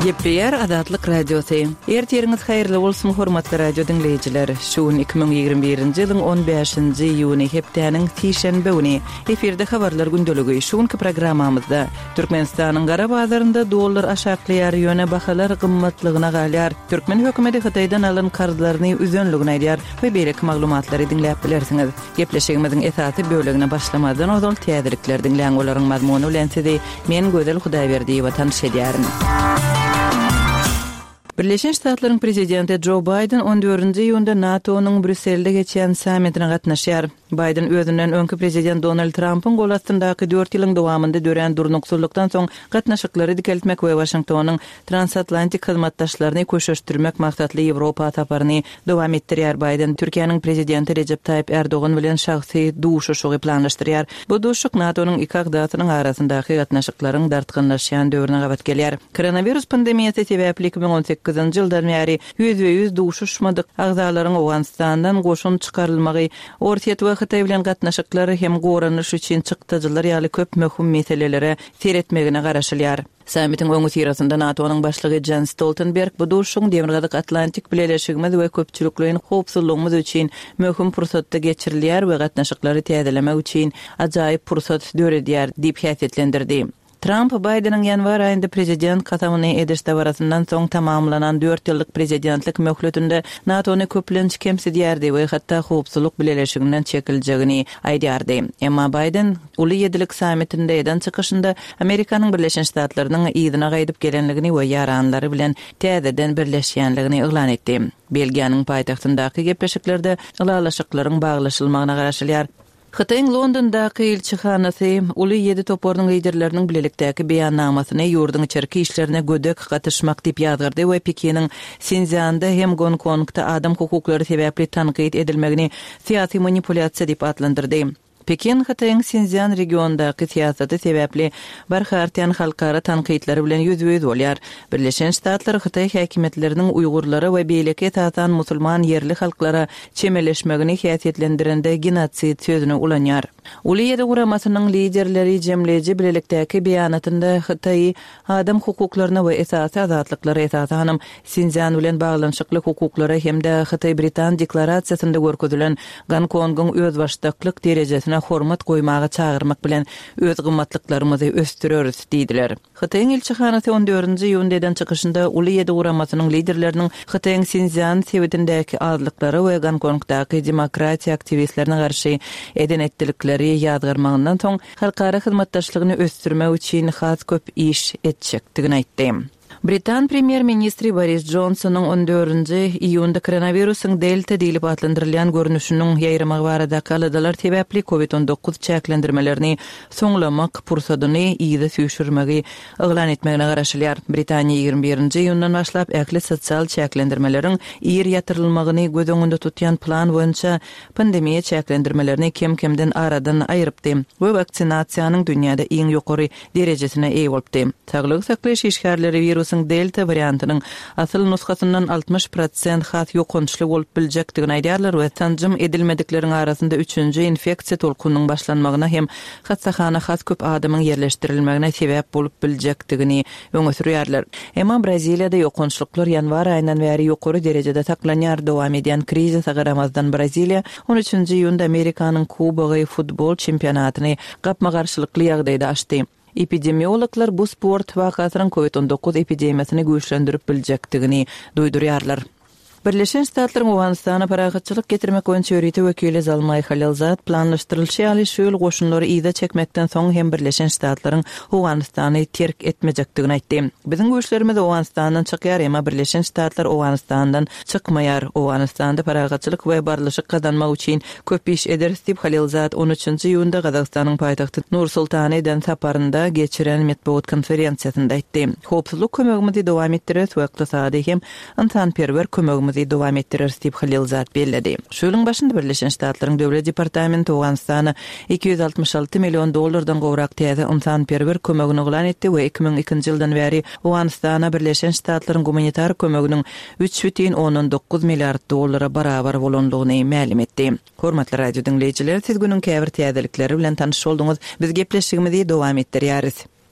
Gepleýär Azatlyk Radiosy. Ertiriňiz haýyrly bolsun, hormatly radio diňleýjiler! Şu gün 2021-nji ýylyň 15-nji iýuny, hepdäniň sişenbe güni. Efirde Habarlar gündeligi. Şu günki programmamyzda, Türkmenistanyň gara bazarynda dollar aşaklaýar, ýöne bahalar gymmatlygyna galýar. Türkmen hökümeti Hytaýdan alan karzlaryny üzenligini aýdýar we beýleki maglumatlary diňläp bilersiňiz. Gepleşigimiziň esasy bölegine başlamazdan ozal täzelikleri diňläň, olaryň mazmuny bilen sizi men Gözel Hudaýberdiýewa tanyş edýärin. Birleşen Ştatlaryň prezidenti Jo Baýden on dördünji iýunda NATO-nyň Brýusselde geçýän sammitine gatnaşýar. Baýden özünden öňki prezident Donald Trampyň gol astyndaky dört ýylyň dowamynda dörän durnuksyzlykdan soň gatnaşyklary dikeltmek we Waşingtonyň transatlantik hyzmatdaşlaryny köşeşdirmek maksatly Ýewropa saparyny dowam etdirýär. Baýden Türkiýäniň prezidenti Rejep Taýyp Ärdogan bilen şahsy duşuşygy planlaşdyrýar. Bu duşuşyk NATO-nyň iki agzasynyň arasyndaky gatnaşyklaryň dartgynlaşýan döwrüne gabat gelýär. Koronawirus pandemiýasy sebäpli 2018-nji ýyldan bäri ýüzbe-ýüz duşuşmadyk agzalaryň Owganystandan goşun çykarylmagy, Orsýet we Hytaý bilen gatnaşyklar hem goranyş üçin çykdajylar ýaly köp möhüm meselelere seretmegine garaşylýar. Sammitiň öňüsyrasynda NATO-nyň başlygy Jens Stoltenberg bu duşuşygyň Demirgazyk Atlantik bileleşigimiz we köpçülikleýin howpsuzlygymyz üçin möhüm pursatda geçirilýär we gatnaşyklary täzelemek üçin ajaýyp pursat döredýär diýip häsiýetlendirdi. Tramp Baýdeniň ýanwar aýynda prezident kasamyny ediş dabarasyndan soň tamamlanan dört ýyllyk prezidentlik möhletinde NATO-ny köplenç kemsidýärdi we hatda howpsuzlyk bileleşiginden çekiljegini aýdýardy. Emma Baýden Uly ýedilik sammitinde eden çykyşynda Amerikanyň Birleşen Ştatlarynyň yzyna gaýdyp gelenligini we ýaranlary bilen täzeden birleşýänligini yglan etdi. Belgiýanyň paýtagtyndaky gepleşiklerde ylalaşyklaryň baglaşylmagyna garaşylýar. Hytaýyň Londondaky ilçihanasy Uly ýedi toparynyň liderleriniň bilelikdäki beýannamasyny ýurduň içerki işlerine gödek gatyşmak diýip ýazgardy we Pekiniň Sinszýanda hem Gonkongda adam hukuklary sebäpli tankyt edilmegini syýasy manipulýasiýa diýip atlandyrdy. Pekin Hytaýyň Sinszýan regionyndaky syýasaty sebäpli barha artýan halkara tankytlary bilen ýüzbe-ýüz bolýar. Birleşen Ştatlar hytaý häkimiýetleriniň uýgurlara we beýleki esasan musulman ýerli halklara çemeleşmegini häsiýetlendirende genosid sözüni ulanýar. Uly ýedi guramasynyň liderleri jemleýji bilelikdäki beýanatynda Hytaýy adam hukuklaryna we esasy azatlyklara, esasanam, Sinszýan bilen baglanyşykly hukuklara hem-de Hytaý-Britan deklarasiýasynda görkezilen Gonkongyň özbaşdaklyk derejesine hormat goýmaga çagyrmak bilen, öz gymmatlyklarymyzy ösdüreris diýdiler. Hytaýyň ilçihanasy on dördünji iýunda eden çykyşynda Uly ýedi guramasynyň liderleriniň Hytaýyň Sinszýan sebitindäki azlyklara we Gonkongdaky demokratiýa aktiwistlerine garşy eden-etdilikleri ýazgarmagyndan soň halkara hyzmatdaşlygyny ösdürmek üçin has köp iş etjekdigini aýtdy. Britan premýer-ministri Boris Jonsonyň on dördünji iýunda koronawirusyň Delta diýlip atlandyrylýan görnüşiniň ýaýramagy baradaky aladalar sebäpli Covid 19 çäklendirmelerini soňlamak pursadyny yza süýşürmegi yglan etmegine garaşylýar. Britaniýa 21-nji iýundan başlap ähli sosial çäklendirmeleriň ir ýatyrylmagyny göz öňünde tutýan plan boýunça pandemiýa çäklendirmelerini kem-kemden aradan aýrypdy we waksinasiýanyň dünýäde iň ýokary derejesine eýe bolupdy. Saglygy saklaýyş işgärleri wirusyň delta wariantynyň asyl nusgasyndan 60 prosent has ýokançly bolup biljekdigini aýdýarlar we sanjym edilmedikleriň arasynda üçünji infeksiýa tolkunynyň başlanmagyna hem hassahana has köp adamyň ýerleşdirilmegine sebäp bolup biljekdigini öňe sürýärler. Emma Braziliýada ýokançlyklar ýanwar aýyndan bäri ýokary derejede saklanýar. Dowam edýän krizise garamazdan Braziliýa on üçünji iýunda Amerikanyň Kubogy futbol çempionatyny gapma-garşylykly ýagdaýda açdy. Epidemiologlar bu sport wakasynyň Covid 19 epidemiýasyny güýçlendirip biljekdigini duýdurýarlar. Birleşen Ştatlaryň Owganystana parahatçylyk getirmek boýunça ýörite wekili Zalmaý Halilzad planlaşdyrylyşy ýaly şu ýyl goşunlary yza çekmekden soň hem Birleşen Ştatlaryň Owganystany terk etmejekdigini aýtdy. Biziň güýçlerimiz Owganystandan çykýar, emma Birleşen Ştatlar Owganystandan çykmaýar. Owganystanda parahatçylyk we barlyşyk gazanmak üçin köp iş ederis diýip, Halilzad on üçünji iýunda Gazagystanyň paýtagty Nur-Sultana eden saparynda geçiren metbugat konferensiýasynda aýtdy. Howpsuzlyk kömegimizi dowam etdireris we ykdysady hem ynsanperwer kömegimizi dowam etdireris diýip, Halilzad belledi. Şu ýylyň başynda Birleşen Ştatlaryň Döwlet departamenti Owganystana 266 million dollardan gowrak täze ynsanperwer kömegini yglan etdi we 2002-nji ýyldan bäri Owganystana Birleşen Ştatlaryň gumanitar kömeginiň 3,9 milliard dollara barabar bolandygyny mälim etdi. Hormatly radio diňleýjiler, siz günüň käbir täzelikleri bilen tanyş bolduňyz. Biz gepleşigimizi dowam etdirýäris.